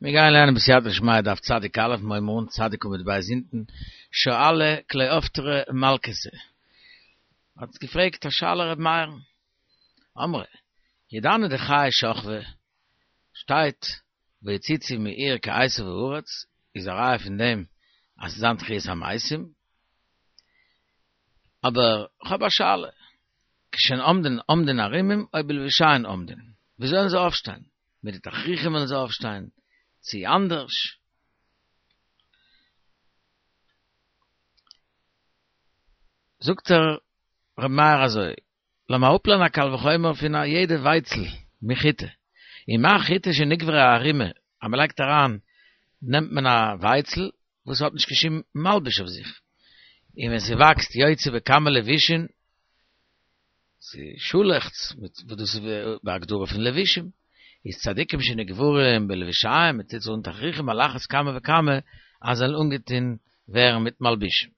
מיר גייען לערנען בסייעתא דשמיא דף צדיק א', מיר הייבן אן צדיק עמוד ב' אונטן, שאלה קלאופטרא מלכתא האט געפרעגט א שאלה ר' מאיר'ן, אמרי, ידענא דחיי שכבי, שטייט ויציצו מעיר כעשב הארץ, איז א ראיה פון דעם אז ס'זיין תחיית המתים, אבער כ'האב א שאלה, כשהן עומדין עומדין ערומים או בלבושיהן עומדין, ווי זאלן זיי אויפשטיין? מיט די תכריכים וועלן זיי אויפשטיין, צי אנדערש? זאגט ער ר' מאיר אזוי, לאמיר אפלערנען א קל וחומר פון א יעדע ווייצל מחיטה, ומה חיטה שנקברה ערומה, אז מען לייגט אריין נעמט מען א ווייצל וואס האט נישט קיין שום מלבוש אויף זיך, און ווען ס'וואקסט יוצא בכמה לבושין, ס'שאלעכץ, מיט וואס דאס איז בהגדרה פון לבושים, איז צדיקים שנקברים בלבושיהם, מ'טוט זיי אן תכריכים על אחת כמה וכמה אז זיי זאלן אנגעטון ווערן מיט מלבושים.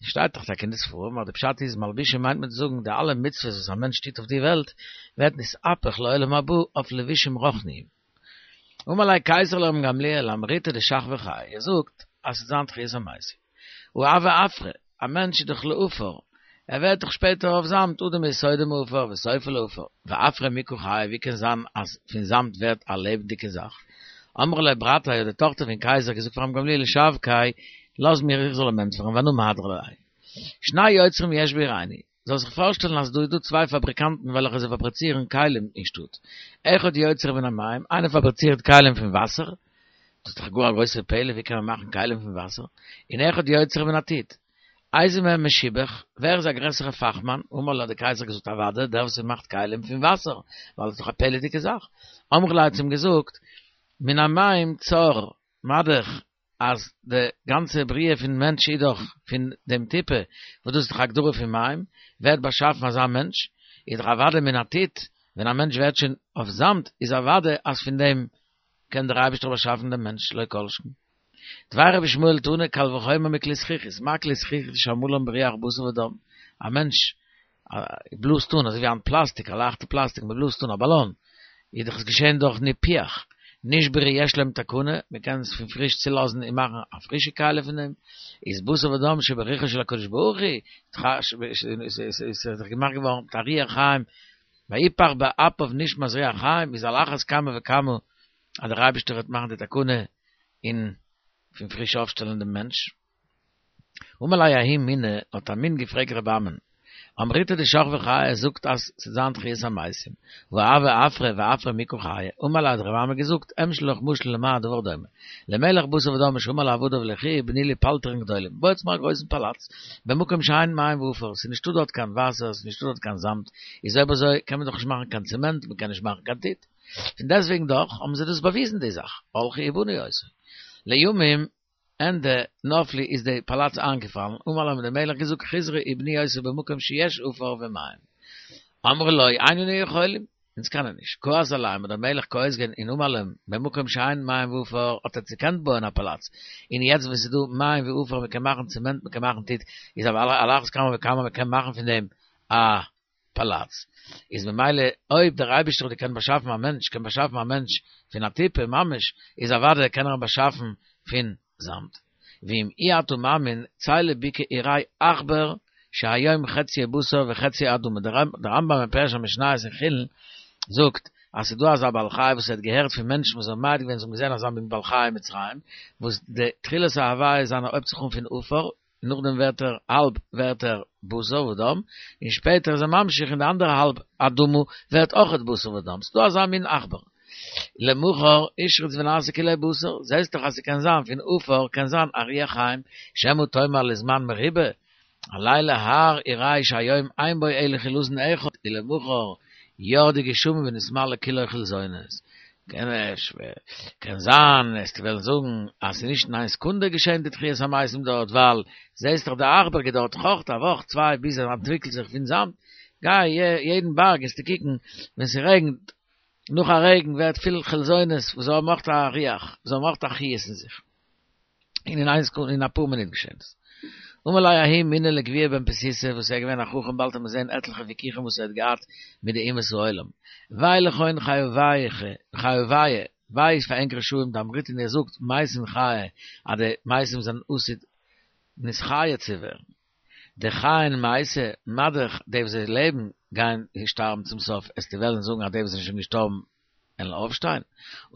שטייט דאך טאקע אין די ספרים אז די פשט איז מלבושים מיינט מען צו זאגן די אלע מצוות וואס א מענטש טוט אויף די וועלט ווערט נתהפך לעולם הבא אויף לבושים רוחניים. אמר ליה קיסר לרבן גמליאל אמריתו דשכבי חיי, ער זאגט אז ס'וועט זיין תחיית המתים. והא הוי עפרא, א מענטש איז דאך לעפר, ער ווערט דאך שפעטער אויף זאמד, אדם יסודו מעפר וסופו לעפר, ועפרא מי קא חיי, ווי קען זיין אז פון זאמד ווערט א לעבעדיגע זאך? אמרה ליה ברתיה האט די טאכטער פון קייזער געזאגט פאר רבן גמליאל שבקיה, לאז מיר איך זאל אים ענטפערן ואנא מהדרא ליה. שני יוצרים יש בעירנו, זאל זיך פארשטעלן אז דא איז דא צוויי פאבריקאנטן וועלכע זיי פאבריצירן כלים אין שטאט, אחד יוצר מן המים, איינער פאבריצירט כלים פון וואסער, דאס איז דאך גאר א גרויסע פלא ווי קען מען מאכן כלים פון וואסער, און אחד יוצר מן הטיט, איזה מהם משובח, ווער איז א גרעסערע פאכמאן, אמר ליה האט דער קייזער געזאגט אוודאי דער וואס מאכט כלים פון וואסער, ווייל עס איז דאך א פלא'דיגע זאך, אמרו ליה האט צו אים געזאגט, מן המים צר, מה-דאך אז די גאנצע בריאה פון מענטש איז דאך פון דעם טיפה, וואס דאס איז דאך א הגדרה פון מים, ווערט באשאפן אזא מענטש, איז דאך אוודאי מן הטיט, ווען א מענטש ווערט שוין אויף זאמד, איז אוודאי אז פון דעם קען דער אייבערשטער באשאפן דעם מענטש, לא כל שכן. דבר רבי ישמעאל תנא, קל וחומר מכלי זכוכית, מה כלי זכוכית שעמלן בריח בשר ודם, א מענטש בלאזט אן אזוי ווי היינט פלאסטיק, א לייכטע פלאסטיק, מען בלאזט אן א באלאן, איז דאך עס געשען דורך ניפוח, נשברו יש להם תקנה, מען קען עס פון פריש צולאזן און מאכן א פרישע כלי פון דעם, איז בשר ודם שברוחו של הקדוש ברוך הוא, איז דאך געמאכט געווארן מיט א רוח חיים, ויפח באפיו נשמת רוח חיים, איז על אחת כמה וכמה אז דער אייבערשטער וועט מאכן די תקנה און פון פריש אויפשטעלן דעם מענטש. אמר ליה ההוא מינא, האט א מין געפרעגט רבי אמין, אמריתו דשכבי חיי ער זאגט אז ס'וועט זיין תחיית המתים, והא הוי עפרא ועפרא מי קא חיי, אמר ליה האט רבי אמי געזאגט, אמשול לך משל למה הדבר דומה, למלך בשר ודם שאמר לעבדיו לכו ובנו לי פלטרין גדולים, בויטס מיר א גרויסן פאלאץ, במקום שאין מים ועפר, ס'איז נישטא דארט קיין וואסער, ס'איז נישטא דארט קיין זאמד, איז אויב אזוי קען מען דאך נישט מאכן קיין צעמענט, מ'קען נישט מאכן קיין טיט. פון דעסטוועגן דאך האבן זיי דאס באוויזן די זאך, הלכו ובנו אותו. לימים ענדע נפלו איז די פאלאץ איינגעפאלן, אמר להם האט דער מלך געזאגט חזרו ובנו אותו במקום שיש עפר ומים. אמרו לו אין אנו יכולים, אונז קענען נישט, כעס עליהם האט דער מלך כועס געווען און אמר להם במקום שאין מים ועפר האט עטס געקענט בויען א פאלאץ, און יעצט ווען ס'איז דא מים ועפר מען קען מאכן צעמענט מען קען מאכן טיט, איז על אחת כמה וכמה מען קען מאכן פון דעם א פאלאץ, איז ממילא אויב דער אייבערשטער האט געקענט באשאפן א מענטש, קען באשאפן א מענטש פון א טיפה ממש, איז אוודאי קען ער אים באשאפן פון זאמד. ואם אי אתה מאמין, צא לבקעה וראה עכבר שהיום חציו בשר וחציו אדמה, דער רמב"ם אין פירוש המשניות אין חולין זאגט אז ס'איז דא אזא בעל חי וואס ער האט געהערט פון מענטשן וואס האבן מעיד געווען זיי האבן געזען אזא מין בעל חי אין מצרים, וואס די תחילת ההוויה זיינע הויבט זיך אן פון עפר, נאכדעם ווערט ער האלב ווערט ער בשר ודם, און שפעטער איז ער ממשיך און די אנדערע האלב אדמה ווערט אויכעט בשר ודם, ס'דא אזא מין עכבר. למחר השריץ ונעשה כולו בשר, זעסט דאך אז ס'קען זיין פון עפר קען זיין א רוח חיים, שמא תאמר לזמן מרובה, עלה להר וראה שהיום אין בו אלא חילזון אחד, ולמחר ירדו גשמים ונתמלא כולו חילזונות. קען זיין וועסטו וועלן זאגן אז ס'איז נישט אין איין סעקונדע געשען די תחיית המתים דארט ווייל זעסט דאך די עכבר געדויערט דאך אויך א וואך צוויי ביז ער אנטוויקלט זיך פון זאמד, גיי יעדן בארג וועסטו קוקן ווען ס'רעגנט נאך א רעגן ווערט פיל חילזונות וואס זיי האבן אויך א רוח זיי האבן אויך א חיות אין זיך. און אין איין סעקונדע אין אפאר מינוט געשען עס. אמר ליה ההוא מינא לגביהא בן פשיטא וואס ער איז געווען א חכם באלד וועט מען זען עטליכע וויכוחים וואס ער האט געהאט מיט די אומות העולם. ווי לכון חיוייכו חיויא. וויי פאר ענק רשעים דאמריתון איר זאגט מתים חיי אז די מתים זענען עתיד נתחיה צו ווערן. דחיין מייתי מה דאך די וואס זיי לעבן גייען שטארבן צום סוף עסטו וועלן זאגן אז די וואס זענען שוין געשטארבן וועלן אויפשטיין?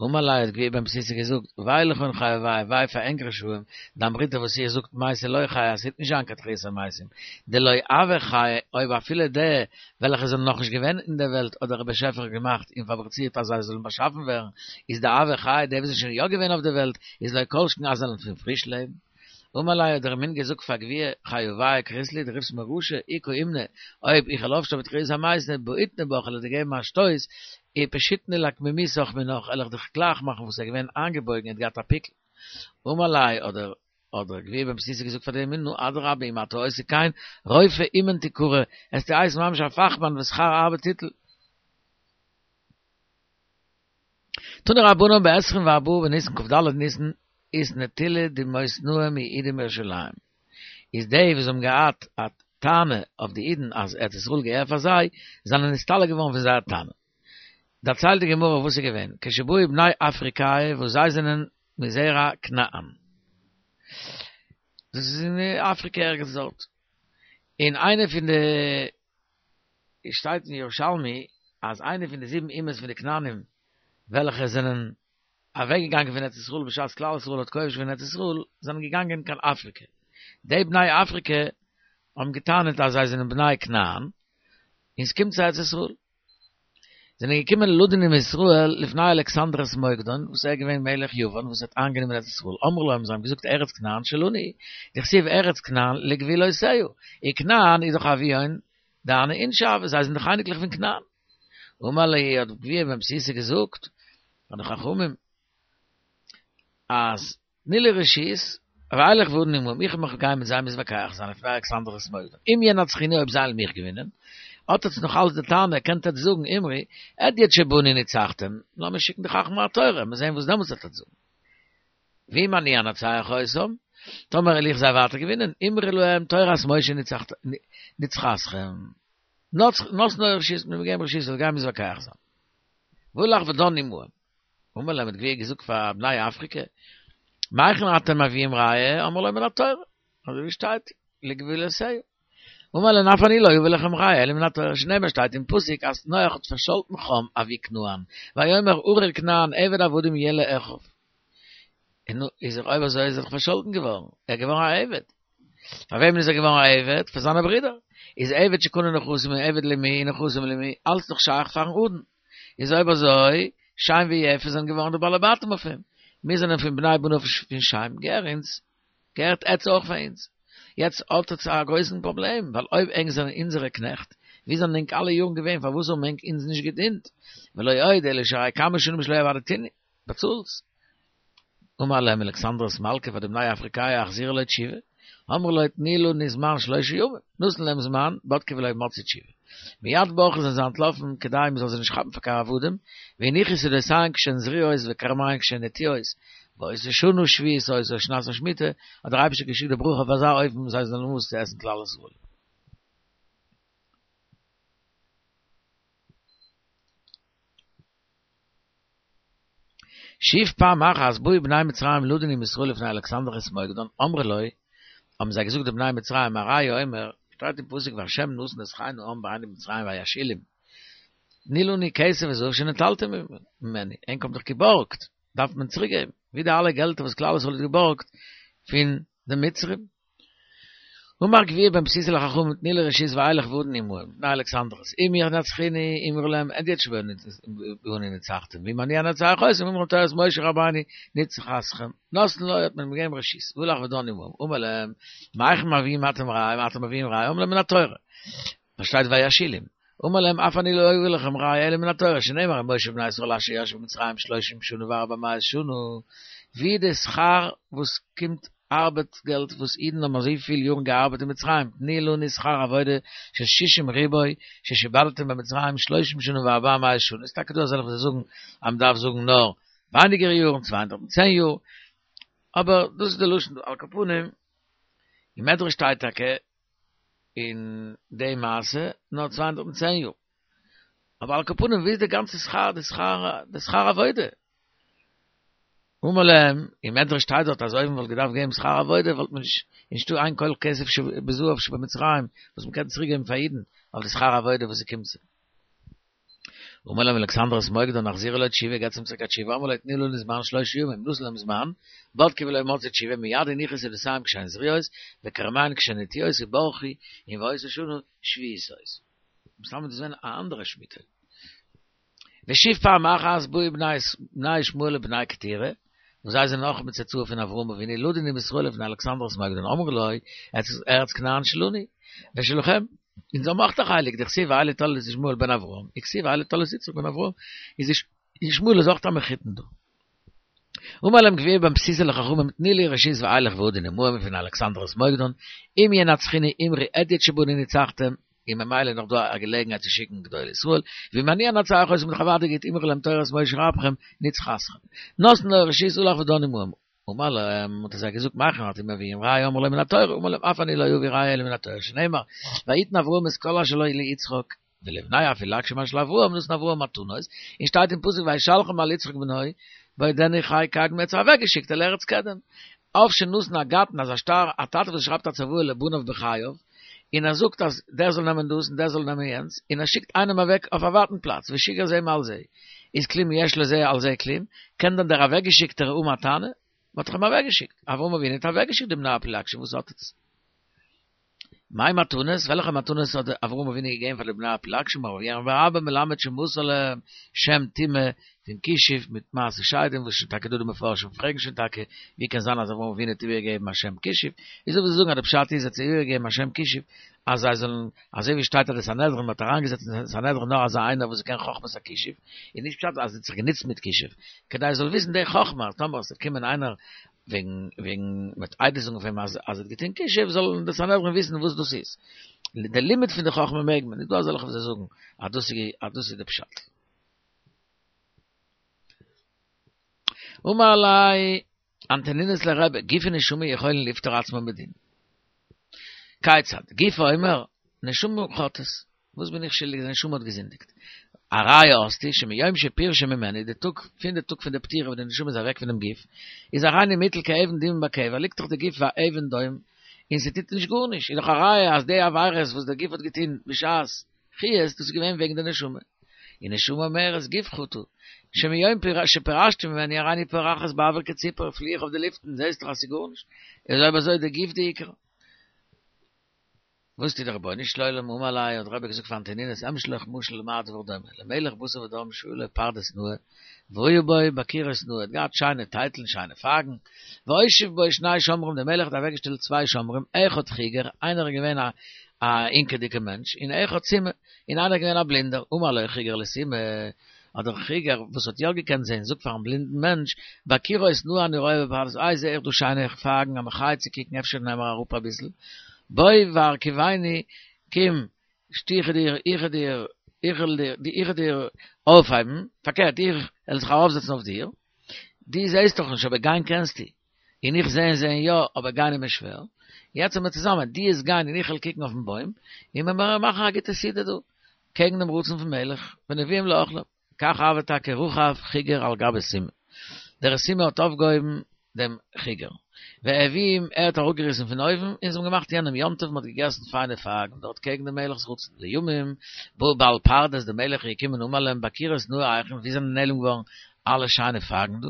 אמר להו האט גביהא בן פסיסא געזאגט, וויי לכון חייביא, וויי פאר ענק רשעים, דאמריתו וואס איר זאגט מתי לא חיי אז ס'וועט נישט זיין קיין תחיית המתים, דלא הוו חיי, אויב אפילו די וועלכע זענען נאכנישט געווען אין דער וועלט האט דער באשעפער געמאכט און פאבריצירט אז זיי זאלן באשאפן ווערן, איז דהוו חיי, די וואס זענען שוין יא געווען אויף דער וועלט, איז לא כל שכן אז זיי זאלן פון פריש לעבן. אמר ליה האט דער מין געזאגט פאר גביהא חייביא קרית לי דו רופסט מיר רשע אי קאימנא אויב איך וועל אויפשטיין בתחיית המתים בעיטנא בך וועל איך דיר געבן א שטויס ופשיטנא לאקמימתך מינך וועל איך דיך גלייך מאכן וואס ער איז געווען איינגעבויגן ער האט געהאט א פיקל אמר ליה האט דער האט דער גביהא בן פסיסא געזאגט פאר דעם מין נו אדרבה אם אתה עושה כן רופא אומן תקרא עסטו הייסן ממש א פאכמאן ושכר הרבה תיטול. תנו רבנן בעשרים וארבעה בניסן כ"ד ניסן איז נטילה דמותנאי מיהודים בירושלים איז די וואס האבן געהאט א טענה אויף די אידן אז ארץ ישראל געהער פאר זיי זענען נסתלק געווארן פון זייער טענה. דערציילט די גמרא וואס איז געווען כשבאו בני אפריקאי וואס זיי זענען מזרע כנען דאס איז אין אפריקע ערגעץ דארט און איינע פון די עס שטייט אין ירושלמי אז איינע פון די זיבן אומות פון די כנענים וועלכע זענען אוועק געגאנגען פון ארץ ישראל בשעת כלל ישראל האט כובש געווען ארץ ישראל זענען געגאנגען קיין אפריקע. די בני אפריקע האבן געטענה'ט אז זיי זענען בני כנען און ס'קומט זיי ארץ ישראל. זענען געקומען לדון עם ישראל לפני אלכסנדרוס מוקדון וואס ער איז געווען מלך יוון וואס האט איינגענומען ארץ ישראל אמרו לו האבן זיי אים געזאגט ארץ כנען שלנו היא דכתיב ארץ כנען לגבולותיה און כנען איז דאך אבוהון דהני אינשי הוו זיי זענען דאך אייניקלעך פון כנען אמר להו האט גביהא בן פסיסא געזאגט פאר די חכמים אז תנו לי רשות, ואלך ואדון עמהם, איך וועל מיך גיין מיט זיי מתווכח זיין לפני אלכסנדרוס מוקדון, אם ינצחוני אויב זיי וועלן מיך געווינען, האט עטס נאך אלץ די טענה, קענט עטס זאגן אמרו, הדיוט שבאנו ניצחתם, לאמיר שיקן די חכמי התורה, מיר זעהן וואס דעמאלטס וועט עטס זאגן. ואם אני אנצח אותם, טאמער וועל איך זיי ווייטער געווינען, אמרו להם תורת משה ניצחתכם, נתנו רשות, מיר געבן רשות, זאל גיין מתווכח זיין. והלך ודן עמהם. אמר להם האט גביהא געזאגט פאר בני אפריקע, מהיכן אתם מביאים ראיה, אמרו לו מן התורה, אזוי ווי שטייט, לגבולותיה. אמר להם אף אני לא אביא לכם ראיה אלא מן התורה, שנאמר שטייט אין פסוק אז נח האט פארשאלטן חם אבי כנען, ויאמר ארור כנען עבד עבדים יהיה לאחיו. און נו, איז ער אויב אזוי איז ער דאך פארשאלטן געווארן, ער איז געווארן א עבד. פאר וועמען איז ער געווארן א עבד? פאר זיינע ברידער. איז עבד שקנה נכסים און עבד למי און נכסים למי, אלץ דאך שייך פארן אדון. איז אויב אזוי, שם ויפת זענען געווארן די בעלי בתים אויף אים. מיר זענען פון בני בניו פון שם, געהער אונז, געהערט עטץ אויך פאר אונז. יעצט האט עטץ א גרויסן פראבלעם, ווייל אויב ענק זענען אונזערע קנעכט, ווי זענען ענק אלע יארן געווען, פארוואס האבן ענק אונז נישט געדינט? ולא עוד אלא שהרי כמה שנים שלא עבדתוני, באצאלטס. אמר להם אלכסנדרוס מלכא פאר די בני אפריקאי החזירו לו תשובה, אמרו לו תנו לנו זמן שלושה ימים, נתן להם זמן, בדקו ולא מצאו תשובה. מיד ברחו זענען זיי אנטלאפן כדי מען זאל זיי נישט כאפן פאר קיין עבדים, והניחו שדותיהן כשהן זרועות וכרמיהן כשהן נטועות, באותה שנה שביעית היתה שנת השמיטה, האט דער אייבערשטער געשיקט די ברכה אויף אזא אופן זיי זאלן האבן וואס צו עסן כלל ישראל. שוב פעם אחת באו בני מצרים לדון עם ישראל לפני אלכסנדרוס מוקדון, אמרו לו, האבן זיי געזאגט די בני מצרים, הרי הוא אומר, שטייט אין פסוק והשם נתן את חן העם בעיני מצרים וישאילום, תנו לנו כסף וזהב שנטלתם ממנו, ענק האבן דאך געבארגט, דארף מען צוריק געבן, ווי די אלע געלטער וואס כלל ישראל האט געבארגט פון די מצרים. אמר גביהא בן פסיסא לחכמים תנו לי רשות ואלך ואדון עמהם לפני אלכסנדרוס אם ינצחוני אמרו להם הדיוט שבאנו ניצחתם ואם אני אנצח אותם אמרו תורת משה רבינו ניצחתכם נתנו לו האט מען אים געגעבן רשות והלך ודן עמהם אמר להם מהיכן מביאים אתם ראיה אתם מביאים ראיה אמרו לו מן התורה וואס שטייט וישאילום אמר להם אף אני לא אביא לכם ראיה אלא מן התורה שנאמר ומושב בני ישראל אשר ישבו במצרים שלושים שנה וארבע מאות שנה ווי די שכר וואס קומט ארבעט געלט וואס אידן האבן אזויפיל יארן געארבעט אין מצרים תנו לנו שכר עבודה של שישים ריבוא ששעבדתם במצרים שלושים שנה וארבע מאות שנה איז טאקע דא אזעלכע וואס זאגן אז מען דארף זאגן נאר ווייניגער יארן 210 יאר אבער דאס איז די לשון על כל פנים אין מדרש שטייט טאקע אין די מעשה נאר 210 יאר אבער על כל פנים ווי איז די גאנצע שכר די שכר די שכר עבודה? אמר להם, אין מדרש שטייט דארט אז אויב מען וואלט געדארפט געבן שכר עבודה וואלט מען נישט, נישטא איין כל כסף שבזהב שבמצרים וואס מען קען צוריק געבן פאר אידן אויף די שכר עבודה וואס ס'קומט זיי. אמר להם אלכסנדרוס מוקדון החזירו לו תשובה געבטס אים צוריק א תשובה אמר לו תנו לנו זמן שלושה ימים נתן להם זמן בדקו ולא מצאו תשובה מיד הניחו שדותיהם כשהן זריעות וכרמיהן כשהן נטיעות וברכו און והיתה שנה שביעית היתה. מסתמא איז דאס געווען א אנדערע שמיטה. ושוב פעם אחת באו בני ישמעאל ובני קטורה, וואס זיי זענען אויך מצאצאי פון אברהם אבינו, לדון עם ישראל לפני אלכסנדרוס מוקדון, אמרו לו, ארץ כנען שלנו, ושלכם, אונז האבן אויך א חלק, דכתיב ואלה תולדות ישמעאל בן אברהם, וכתיב ואלה תולדות יצחק בן אברהם, איז ישמעאל איז אויך א מחותן דא. אמר להם גביהא בן פסיסא לחכמים תנו לי רשות ואלך ואדון עמהם לפני אלכסנדרוס מוקדון, אם ינצחוני אמרו הדיוט שבנו ניצחתם, און ממילא איז נאך דא א געלעגנהייט צו שיקן גדולי ישראל, ואם אני אנצח אותם דאך אוודאי גוט אמרו להם תורת משה רבכם ניצחתכם. נתנו לו רשות הלך ודן עמהם. אמר להם, האט ער זיי געזאגט מהיכן אתם מביאים ראיה אמרו לו מן התורה, אמר להם אף אני לא אביא ראיה אלא מן התורה שנאמר ויתן אברהם את כל אשר לו ליצחק ולבני הפילגשים אשר לאברהם נתן אברהם מתנות, און שטייט אין פסוק וישלחם אל יצחק בנו בעודנו חי קדם האט זיי אוועקגעשיקט אל ארץ קדם. אב שנתן הגתנא אז א שטר א טאטע וואס שרייבט א צוואה לבניו בחייו, און ער זאגט אז דער זאל נעמען דאס און דער זאל נעמען יענץ, און ער שיקט איינעם אוועק אויף א ווייטן פלאץ, ושיגר זה מעל זה, איז כלום יש לזה על זה כלום, קען דען דער אוועקגעשיקטער האבן א טענה? מען האט דאך אים אוועקגעשיקט, אברהם אבינו האט אוועקגעשיקט די בני הפילגשים, וואס האט עטס? מאי מתנות? וועלכע מתנות האט אברהם אבינו געגעבן פאר די בני הפילגשים? רב ירמיה בר אבא מלמד שמסר להם שם טומאה פון כישוף מיט מעשה שדים וואס שוין טאקע דא די מפרשים פרעגן שוין טאקע ווי קען זיין אז אברהם אבינו האט איבערגעגעבן א שם כישוף איז דא וואס זאגן אז די פשט איז ער האט זיי איבערגעגעבן א שם כישוף אז זיי זאלן אזוי ווי שטייט אז די סנהדרין מ'האט אריינגעזעצט אין סנהדרין נאר אזא איינער וואס קען חכמת הכישוף איז נישט פשט אז ער האט זיך גענוצט מיט כישוף כדי ער זאל וויסן די חכמה אז טאמער עס וועט קומען איינער וועגן וועגן מ'וועט עדות זאגן אויף אים אז אז ער האט געטון כישוף זאלן די סנהדרין וויסן וואס דאס איז די לימוד פון די חכמה מעג מען איז דא אזעלכע וואס זיי זאגן אז דאס איז אז דאס איז די פשט. אמר ליה אנטונינוס לרבי, גוף ונשמה יכולין לפטור עצמן בדין. כיצד? גוף אומר, נשמה חטאת. וואס בין איך שולדיג, די נשמה האט געזינדיגט. א ראיה האסטו, שמיום שפירשה ממני, די טאג, פון די טאג פון די פטירה וואס די נשמה איז אוועק פונעם גוף, איז הריני מוטל כאבן דומם בקבר, ליגט דאך די גוף ווי א אבן דום, און ס'טוט נישט גארנישט, איז דאך א ראיה אז די עבירות וואס דער גוף האט געטון בשעת חיות, דאס איז געווען וועגן די נשמה. און נשמה אומרת גוף חטא, שמיום שפירשת ממני הריני פורחת באויר כציפור, פלי איך אויף די לופטן, זעסט דאך אז ס'איז גארנישט, איז אויב אזוי די גוף די עיקר. וואס טוט דער רבונו של עולם אמר ליה האט רבי געזאגט פאר אנטונינוס אמשול לך משל למה הדבר דומה למלך בשר ודם שהיה לו פרדס נאה והיה בו בקירות נאה האט געהאט שיינע טייטלן שיינע פייגן והושיב בו שני שומרים דער מלך האט אוועקגעשטעלט צוויי שומרים אחד חיגר איינער איז געווען א א הינקעדיגע מענטש און אחד סומא און איינער איז געווען א בלינדער אמר לו חיגר לסומא האט דער חיגר וואס האט יא געקענט זען זאגט פארן בלינדן מענטש בקירות נאה אני רואה בפרדס איי זע איך דא שיינע פייגן א מחיה צו קוקן אפשר נעם מיר אראפ אביסל בוא והרכיבני קום איך דיר איך דיר איך דיר איך דיר אויפהייבן פארקערט איך וועל זיך ארויפזעצן אויף דיר דו זעסט דאך נישט אבער גיין קענסטו און איך זען זען יא אבער גיין איז מיר שווער יעצט זעמיר צוזאמען דו וועסט גיין און איך וועל קוקן אויפן בוים און מיר מאכן א גוטע סעודה דא קעגן דעם רצון פון מלך, ונביאים לאכלם. כך הוה טאקע רכב חיגר על גבי סומא. דער סומא האט אויפגעהויבן דעם חיגר. והביאום, ער האט אראפגעריסן פון אויבן, און זיי האבן געמאכט יענעם יום טוב, מען האט געגעסן פיינע פייגן דארט קעגן דעם מלך'ס רצון. לימים, בא בעל פרדס, דער מלך איז געקומען אמר להם בקירות נאה היכן, וואו זענען נעלם געווארן אלע שיינע פייגן דא?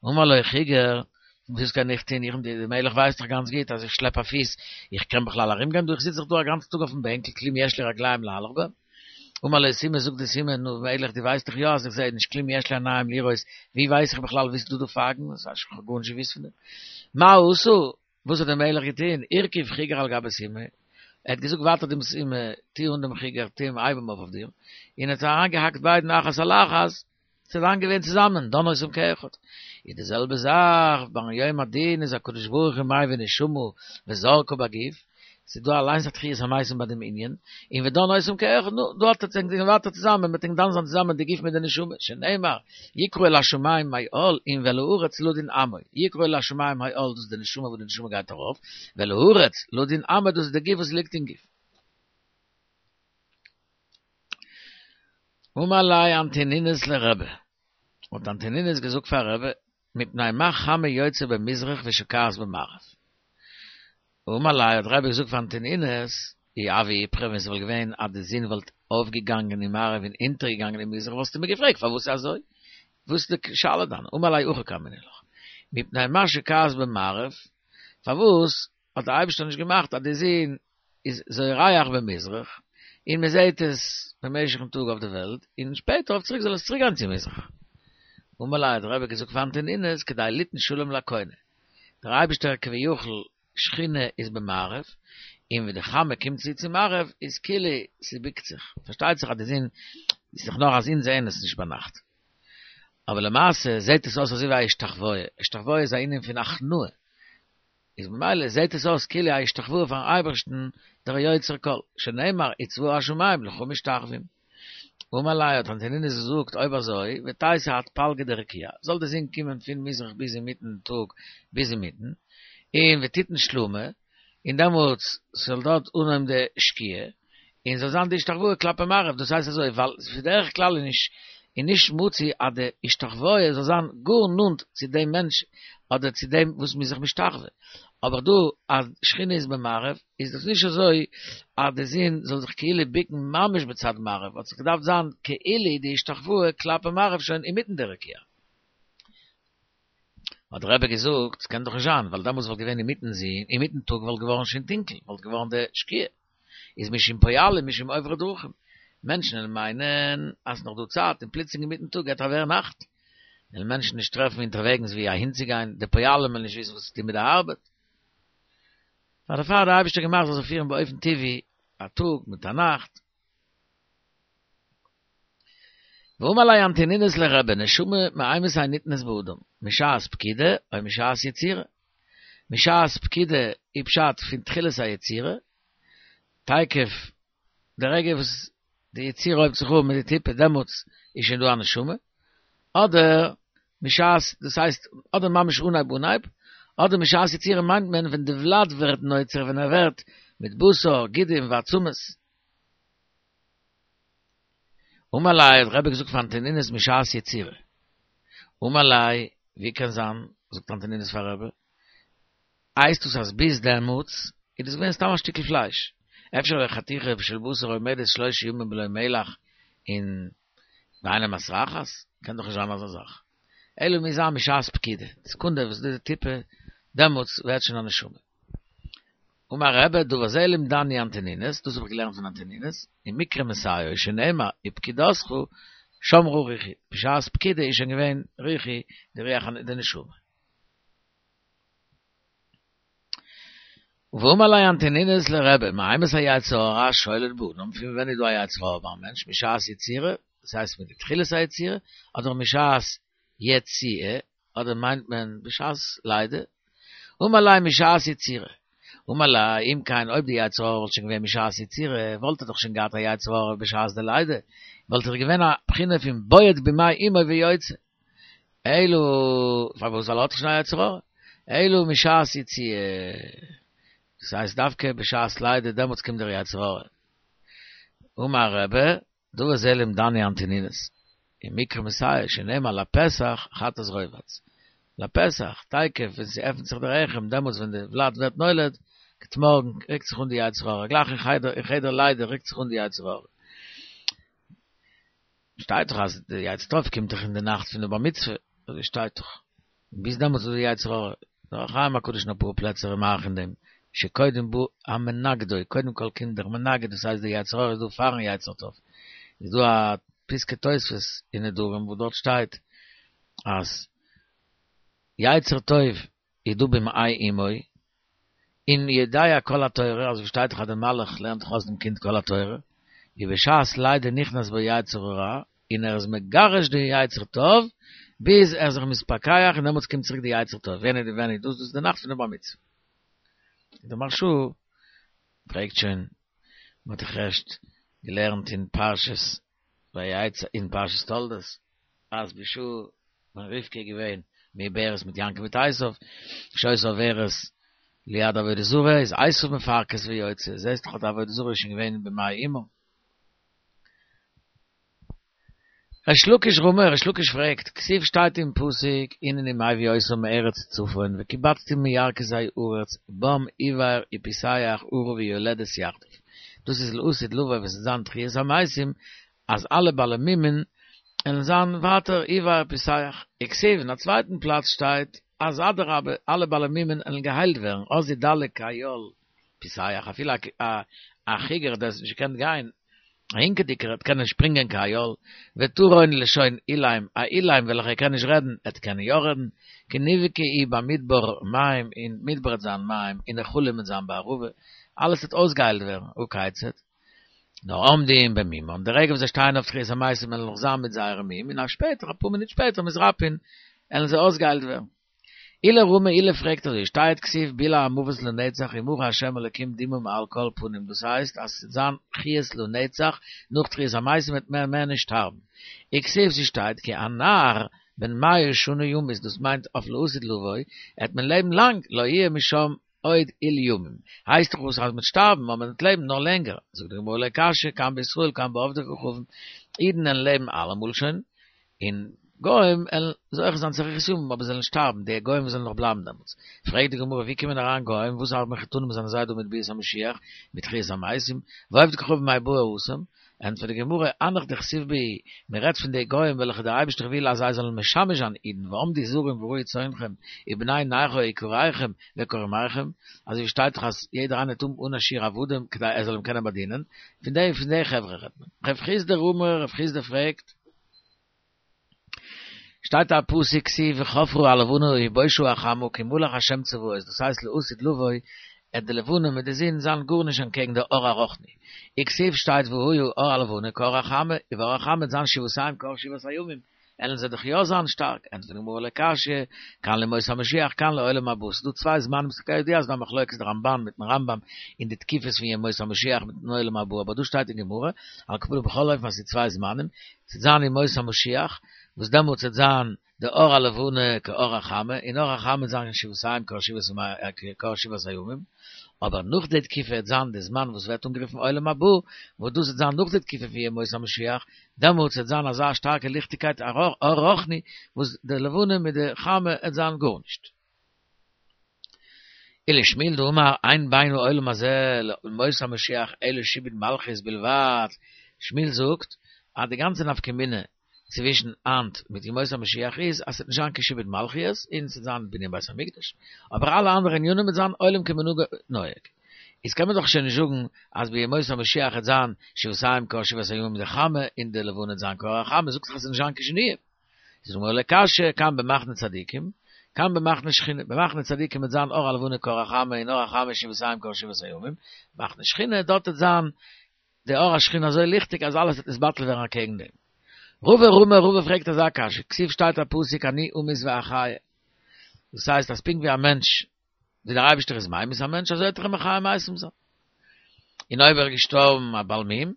אמר לו חיגר, וואס קען איך טון, איך די מלך ווייסט דאך גאנץ גוט אז איך שלעפ א פיס, איך קען בכלל ארום גיין דא, איך זיץ דאך דא א גאנצן טאג אויפן בענקל, כלום יש לי רגליים להלך בהם. אמר לו סומא, זאגט די סומא, נו מלך דו ווייסט דאך יא אז איך זע נישט, כלום יש לי עיניים לראות, ווי ווייס איך בכלל וואו ס'איז דא דא פייגן, איך האב גארנישט געוואוסט פון דעם. מה עשה, וואס האט דער מלך געטון, הרכיב חיגר על גבי סומא, ער האט געזאגט ווייטער דעם סומא, טו אן דעם חיגר, טו אים הייב אים אויף אויף דיר, און ער האט אריינגעהאקט ביידן אחת על אחת, ס'איז דאן געווען צוזאמען, דן אותם כאחד. איז די זעלבע זאך ביים יום הדין איז הקדוש ברוך הוא מביא נשמה וזורקה בגוף, ס'איז דא אליינס א תחיית המתים ביי דעם ענין, און ודן אותם כאחד, נו, דא האט ער זיך ווייטער צוזאמען, מ'וועט דן זיין צוזאמען די גוף מיט די נשמה, שנאמר, יקרא אל השמים מהאל און ואל הארץ לדון עמו, יקרא אל השמים מהאל דאס איז די נשמה וואס די נשמה גייט ארויף, ואל הארץ לדון עמו דאס איז די גוף וואס ליגט אין גוף. אמר ליה אנטונינוס לרבי, האט אנטונינוס געזאגט פאר רבי. מפני מה חמה יוצאה במזרח ושוקעת במערב. אמר ליה האט רבי געזאגט פאר אנטונינוס, אי הוה איפכא ווען ס'וואלט געווען אז די זון וואלט אויפגעגאנגען אין מערב און אונטערגעגאנגען אין מזרח וואלסטו מיר געפרעגט פארוואס איז אזוי? וואס איז די שאלה דיינע? אמר ליה הכי קאמינא לך, מפני מה שוקעת במערב, פארוואס האט דער אייבערשטער נישט געמאכט אז די זון איז זורח במזרח און מען זעט עס במשך'ן טאג אויף די וועלט, און שפעטער אויף צוריק זאל עס צוריק גיין צו מזרח? אמר ליה האט דער רבי געזאגט פאר אנטונינוס כדי ליתן שלום לקונה, דער אייבערשטער כביכול שכינה איז במערב, און ווען די חמה קומט צו צו מערב איז כאילו ס'בוקט זיך, פארשטייט זיך אז די זון איז דאך נאר אז אונז זעען עס נישט ביינאכט, אבער למעשה זעט עס אויס אזוי ווי א השתחוואה, השתחוואה איז א ענין פון הכנעה, איז ממילא זעט עס אויס כאילו א השתחוואה פארן אייבערשטן דער יוצר כל, שנאמר וצבא השמים לך משתחווים. אמר ליה האט אנטונינוס געזאגט אויב אזוי ותיתי עד פלגא דרקיע, זאל די זון קומען פון מזרח ביז אינמיטן טאג ביז אינמיטן, און ותיתן שלמא, און דעמאלטס זאל דארט אנהויבן די שקיעה, און זאל זיין די השתחוואה כלפי מערב, דאס הייסט אזוי ווייל בדרך כלל איז נישט איז נישט מצוי אז די השתחוואה זאל זיין גאר נאנט צו דעם מענטש אדער צו דעם וואס מ'איז זיך משתחווה, אבער דא אז שכינה איז במערב איז דאס נישט אזוי אז די זון זאל זיך כאילו בוקן ממש בצד מערב, האט זיך געדארפט זיין כאילו די השתחוואה כלפי מערב שוין אינמיטן די רקיע. האט דער רבי געזאגט, ס'קען דאך נישט זיין, ווייל דעמאלטס וואלט געווען אינמיטן זון, אינמיטן טאג וואלט געווארן שוין טונקל, וואלט געווארן די שקיעה. איז משום פועלים משום עוברי דרכים. מענטשן וועלן מיינען אז ס'נאך דא צייט און פלוצלינג אינמיטן טאג גייט ווערן נאכט. וועלן מענטשן נישט טרעפן אונטערוועגנס ווי אהינצוגיין, די פועלים וועלן נישט וויסן וואס צו טון מיט די ארבעט. פאר דערפאר האט דער אייבערשטער געמאכט זאל זיך פירן באופן טבעי א טאג מיט א נאכט. ואמר ליה אנטונינוס לרבי, נשמה מאימתי ניתנת באדם, משעת פקידה או משעת יצירה? משעת פקידה איז פשט פון תחילת היצירה, תיכף די רגע וואס די יצירה הויבט זיך אן מיט די טיפה דעמאלטס איז שוין דא א נשמה, אדער משעת, דאס הייסט אדער ממש אנהייב אנהייב, אדער משעת יצירה מיינט מען ווען די ולד ווערט נוצר ווען ער ווערט מיט בשר, גידים ועצמות. אמר ליה האט רבי געזאגט פאר אנטונינוס משעת יצירה. אמר ליה, ווי קען זיין, זאגט אנטונינוס פאר רבי, הייסט דאס אז ביז דעמאלטס איז דאס געווען סתם א שטיקל פלייש, אפשר חתיכה של בשר עומדת שלושה ימים בלא מלח און ואינה מסרחת, קען דאך נישט זיין אזא זאך. אלא מוז זיין משעת פקידה, די סעקונדע וואס די טיפה, דעמאלטס ווערט שוין א נשמה. אמר רבי, דבר זה לימדני אנטונינוס, דאס האב איך געלערנט פון אנטונינוס, אין מקרא מסייעו שנאמר ופקידתך שמה רוחי, בשעת פקידה איז שוין געווען רוחי די רוח די נשמה. ואמר ליה אנטונינוס לרבי, מאימתי יצר הרע שולט באדם, פון ווען איז דא א יצר הרע ביים מענטש, משעת יצירה, דאס הייסט מיט די תחילת היצירה, אדער משעת יציאה, אדער מיינט מען בשעת לידה? אמר ליה משעת יצירה. אמר ליה, אם כן אויב די יצר הרע וואלט שוין געווען משעת יצירה, וואלט ער דאך שוין געהאט א יצר הרע בשעת די לידה, וואלט ער געווען א בחינה פון בועט במעי אמו ויוצא. אלא, פארוואס ווייל ער האט דאך שוין א יצר הרע? אלא משעת יציאה. דאס הייסט דווקא בשעת לידה דעמאלטס קומט דער יצר הרע. אמר רבי, דבר זה לימדני אנטונינוס, אין מקרא מסייע שנאמר לפתח חטאת רובץ. לפתח, תיכף ווען ס'עפנט זיך די רחם, דעמאלטס ווען די ולד ווערט נולד, גוט מארגן, רוקט זיך אן די יצר הרע, גלייך אין חדר, אין חדר לידה רוקט זיך אן די יצר הרע. שטייט דאך אז די יצר טוב קומט דאך אין די נאכט פון די בר מצוה, אזוי שטייט דאך. ביז דעמאלטס איז דא די יצר הרע. דער אור החיים הקדוש אין אפאר פלעצער איז מאריך אין דעם, שקודם בא המנגדו, קודם כל קומט דער מנגד, דאס הייסט די יצר הרע איז דא פארן יצר טוב. איז דא א פסקי תוספות אין נדרים וואס דארט שטייט אז יצר טוב איז דא במעי אמו, און יודע כל התורה, אזוי ווי שטייט דאך אז דער מלאך לערנט דאך אויס דעם קינד כל התורה, ובשעת לידה נכנס בו יצר הרע, און ער איז מגרש די יצר טוב, ביז ער איז זיך מתפכח און דעמאלטס קומט צוריק די יצר טוב, ווען איז ווען איז דאס? דאס איז די נאכט פון די בר מצוה. דער מהרש"א פרעגט שוין, מען האט דאך ערשט געלערנט אין פרשת ויצא אין פרשת תולדות, אז בשעה ווען רבקה איז געווען מעוברת מיט יעקב מיט עשיו, כשהיתה עוברת ליד עבודה זרה, איז עשיו מפרכס ויוצא, זעסט דאך אז די עבודה זרה איז שוין געווען במעי אמו. ריש לקיש רמי, ריש לקיש פרעגט, כתיב שטייט אין פסוק, הנני מביא אותם מארץ צפון וקבצתים מירכתי ארץ בם עור ופיסח ארה ויולדת יחדיו. דאס איז לעתיד לבוא ווען ס'וועט זיין תחיית המתים אז אלע בעלי מומין וועלן זיין ווייטער עור ופיסח. וכתיב אין א צווייטן פלאץ שטייט אז אדרבה אלע בעלי מומין וועלן געהיילט ווערן אז ידלג כאיל פיסח אפילו א חיגר דער האט נישט געקענט גיין א הינקעדיגער וועט קענען שפרינגען כאיל, וטרון לשון אילם, א אילם וועלכער קען נישט רעדן, עט קענען יא רעדן, כי נבקעו במדבר מים, אין מדבר עט זיין מים, ונחלים עט זיין בערבה, אלעס וועט אויסגעהיילט ווערן, הא כיצד? נאר עומדים במומן, די רגע וואס זיי שטייען אויף תחיית המתים וועלן נאך זיין מיט זייערע מום, און א שפעטער, אפאר מינוט שפעטער, מתרפאין, עלן זיי אויסגעהיילט ווערן. עולא רמי, עולא פרעגט אזוי, שטייט כתיב בלע המוות לנצח ומחה השם אלקים דמעה מעל כל פנים דאס הייסט אז ס'וועט זיין חיות לנצח נאך תחיית המתים וועט מען מער נישט שטארבן. וכתיב ס'שטייט כי הנער בן מאה שנה ימות דאס מיינט אויף לעתיד לבוא עט מען לעבן לאנג לא יהיה משם עוד עיל ימים הייסט דאך וואס אז מ'וועט שטארבן אבער מ'וועט לעבן נאר לענגער זאגט די גמרא לא קשיא כאן בישראל כאן בעובדי כוכבים אידן עלן לעבן אלעמאל שוין און גוים עלן זוכה זיין צו אריכות ימים אבער זיי וועלן שטארבן, די גוים וואס וועלן נאך בלייבן דעמאלטס. פרעגט די גמרא ווי קומען אריין גוים, וואס האבן מחותנים זענען זיי דא מיט ביאת המשיח, מיט תחיית המתים, ועובדי כוכבים מאי בעו התם? ענטפערט די גמרא, הנך דכתיב בהו, מען רעדט פון די גוים וועלכע דער אייבערשטער וויל אז זיי זאלן משמש זיין אידן, ועמדו זרים ורעו צאנכם, ובני נכר איכריכם וכרמיכם, אזוי ווי שטייט דאך אז יעדער איינער וועט האבן אן א שיעור עבדים כדי ער זאל אים קענען באדינען, פון די פון די חברה רעדט מען. רב חסדא רמי, רב חסדא פרעגט. שטייט א פסוק כתיב וחפרה הלבנה ובושה החמה כי מלך השם צבאות דאס הייסט לעתיד לבוא עט די לבנה מיט די זון זיין גארנישט אנטקעגן די אור הרוחני וכתיב שטייט והיה אור הלבנה כאור החמה און אור החמה עט זיין שבעתיים כאור שבעת הימים עלן זיי דאך יא זיין שטארק ענטפערט די גמרא לא קשיא כאן לימות המשיח כאן לעולם הבא ס'דא צוויי זמנים ס'איז כידוע אז ס'דא א מחלוקת די רמבן מיטן רמב"ם אין די תקופות פון ימות המשיח מיטן עולם הבא אבער דא שטייט אין גמרא על כל פנים בכל אופן אז ס'איז צוויי זמנים ס'וועט זיין ימות המשיח, וואס דעמאלטס וועט זיין די אור הלבנה כאור החמה, און אור החמה וועט זיין שבעתיים כאור שבעת הימים, אבער נאך די תקופה וועט זיין די זמן וואס ווערט אנגערופן עולם הבא, וואס דאס וועט זיין נאך די תקופה פון ימות המשיח, דעמאלטס וועט זיין אזא שטארקע ליכטיגקייט אור רוחני, וואס די לבנה מיט די חמה וועט זיין גארנישט. ולשמואל דאמר אין בין העולם הזה לימות המשיח אלא שעבוד מלכיות בלבד, שמואל זאגט אז די גאנצע נפקא מינה צווישן היינט מיט ימות המשיח איז אז ס'וועט נישט זיין קיין שעבוד מלכיות און ס'וועט זיין בנין בית המקדש, אבער אלע אנדערע ענינים וועט זיין עולם כמנהגו נוהג. איז קען מען דאך שוין נישט זאגן אז בימות המשיח וועט זיין שבעתיים כאור שבעת הימים די חמה און די לבנה וועט זיין כאור החמה, זאגט דאך אז ס'וועט נישט זיין קיין שינויים. זאגט די גמרא לא קשיא, כאן במחנה צדיקים, כאן במחנה שכינה, במחנה צדיקים וועט זיין אור הלבנה כאור החמה און אור החמה שבעתיים כאור שבעת הימים, מחנה שכינה, דארט וועט זיין די אור השכינה אזוי ליכטיג אז אלעס וועט נתבטל ווערן אקעגן דעם. רבא רמי, רבא פרעגט אזא קשיא, כתיב שטייט א פסוק אני אמית ואחיה, דאס הייסט אז פונקט ווי א מענטש ווי דער אייבערשטער איז ממית א מענטש אזוי וועט ער אים מחיה מתים זיין, און אויב ער איז געשטארבן א בעל מום,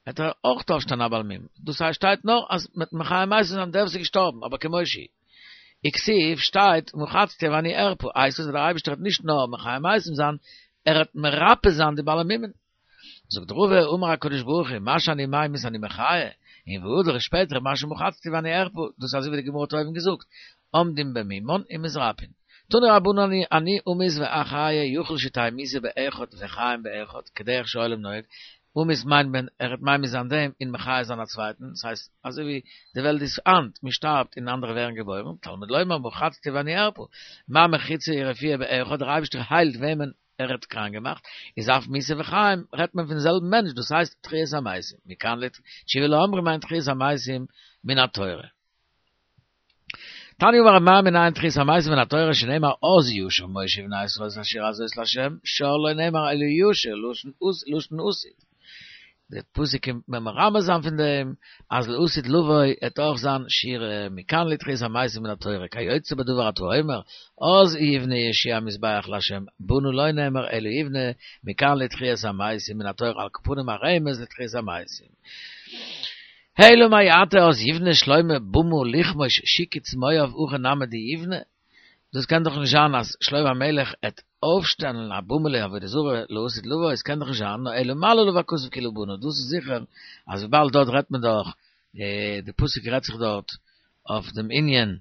וועט ער אויך אויפשטיין א בעל מום, דאס הייסט שטייט נאר אז מ'וועט מחיה מתים זיין דער וואס איז געשטארבן, אבער כמו שהיא. וכתיב שטייט מחצתי ואני ארפא, הייסט עס אז דער אייבערשטער וועט נישט נאר מחיה מתים זיין, ער וועט מרפא זיין די בעלי מומין. זאגט רבא, אמר הקדוש ברוך הוא, מה שאני ממית אני מחיה, און והדר שפעטער מה שמחצתי ואני ארפא, דאס איז אזוי ווי די גמרא האט אויבן געזאגט, עומדים במומן ומתרפאין. תנו רבנן אני אמית ואחיה יכול שתהא מיתה באחד וחיים באחד, כדרך שהעולם נוהג, אמית מיינט מען ער וועט ממית זיין דעם און מחיה זיין א צווייטן, דאס הייסט אזוי ווי די וועלט איז היינט, מען שטארבט און אנדערע ווערן געבוירן, תלמוד לומר מחצתי ואני ארפא, מה מחיצה ורפואה באחד, דער אייבערשטער היילט וועמען ער האט קראנק געמאכט, איז אף מיתה וחיים רעדט מען פון זעלבן מענטש, דאס הייסט תחיית המתים, מכאן לתשובה לאומרים אין תחיית המתים מן התורה. תניא אמר רב מרי מנין תחיית המתים מן התורה שנאמר אז ישיר משה ובני ישראל את השירה הזאת לה' שר לא נאמר אלא ישיר לשון עתיד. די פסוק קומט מיר מרמז זיין פון דעם אז לעתיד לבוא עט אויך זיין שירה מכאן לתחיית המתים מן התורה כיוצא בדבר אתה אומר אז יבנה יהושע מזבח לה' בנה לא נאמר אלא יבנה מכאן לתחיית המתים מן התורה על כל פנים א רמז לתחיית המתים. אלא מעתה אז יבנה שלמה במה לכמוש שקוץ מואב הכי נמי דיבנה, דאס קען דאך נישט זיין אז שלמה המלך עט אויפשטעלן א במה לעבודה זרה לעתיד לבוא, עס קען דאך נישט זיין, נאר אלא מעלה עליו הכתוב כאילו בנה, דאס איז זיכער אז וויבאלד דארט רעדט מען דאך. די פסוק רעדט זיך דארט אויף דעם ענין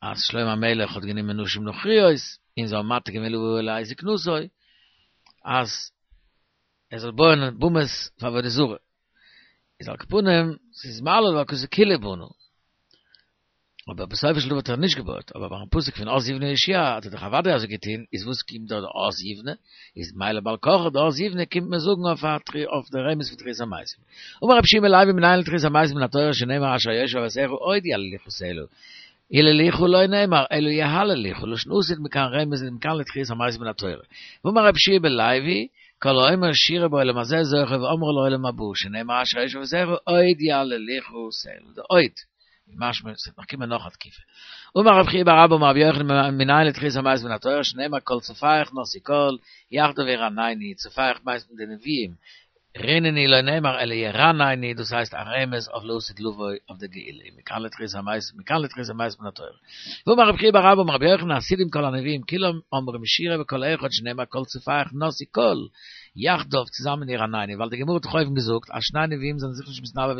אז שלמה המלך האט גענומען נשים נכריות און זיי האבן מתיר געווען לבוא לעת זקנותו אז ער זאל בויען במות פאר עבודה זרה. איז על כל פנים ס'איז מהללא הכתוב כולהו בנה. אבער בסופו של דבר האט ער נישט געבויעט, אבער ביים פסוק פון אז יבנה יהושע האט ער דאך אוודאי אזוי געטון, איז וואס קומט דא די אז יבנה? איז מילא בעל כרחו די אז יבנה קומט מען זאגן אויף א אויף די רמז פון תחיית המתים. אמר רבי יהושע בן לוי מנין לתחיית המתים מן התורה שנאמר אשר יושב אבותיך עוד יהללוך סלה, יללוך לא נאמר אלא יהללוך, לשון עתיד מכאן רמז מכאן לתחיית המתים מן התורה. ואמר רבי יהושע בן לוי, כל האומר שירה בעולם הזה זוכה ואומרה לעולם הבא, שנאמר אשר יושב אבותיך עוד יהללוך סלה, די עוד. משמע ס'וועט נאך קומען נאך א תקופה. אמר רב חייא בר אבא אמר רבי יוחנן מנין לתחיית המתים מן התורה שנאמר כל צופיך נשאו קול יחדיו ירננו צופיך מיינט מען די נביאים רננו לא נאמר אלא ירננו דאס הייסט א רמז אויף לעתיד לבוא אויף די גאולה מכאן לתחיית המתים מכאן לתחיית המתים מן התורה. ואמר רב חייא בר אבא אמר רבי יוחנן עתידים כל הנביאים כולם אומרים שירה בקול אחד שנאמר כל צופיך נשאו קול יחדיו צוזאמען ירננו, ווייל די גמרא האט דאך אויבן געזאגט אז שני נביאים זענען זיך נישט מתנבא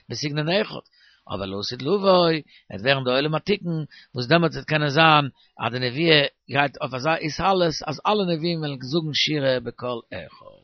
בסגנון אחד, אבער לעתיד לבוא וועט ווערן די עולם התיקון, וואס דעמאלטס וועט קענען זיין אז די נבואה גייט אויף אזא התעלות אז אלע נביאים וועלן זאגן שירה בקול אחד.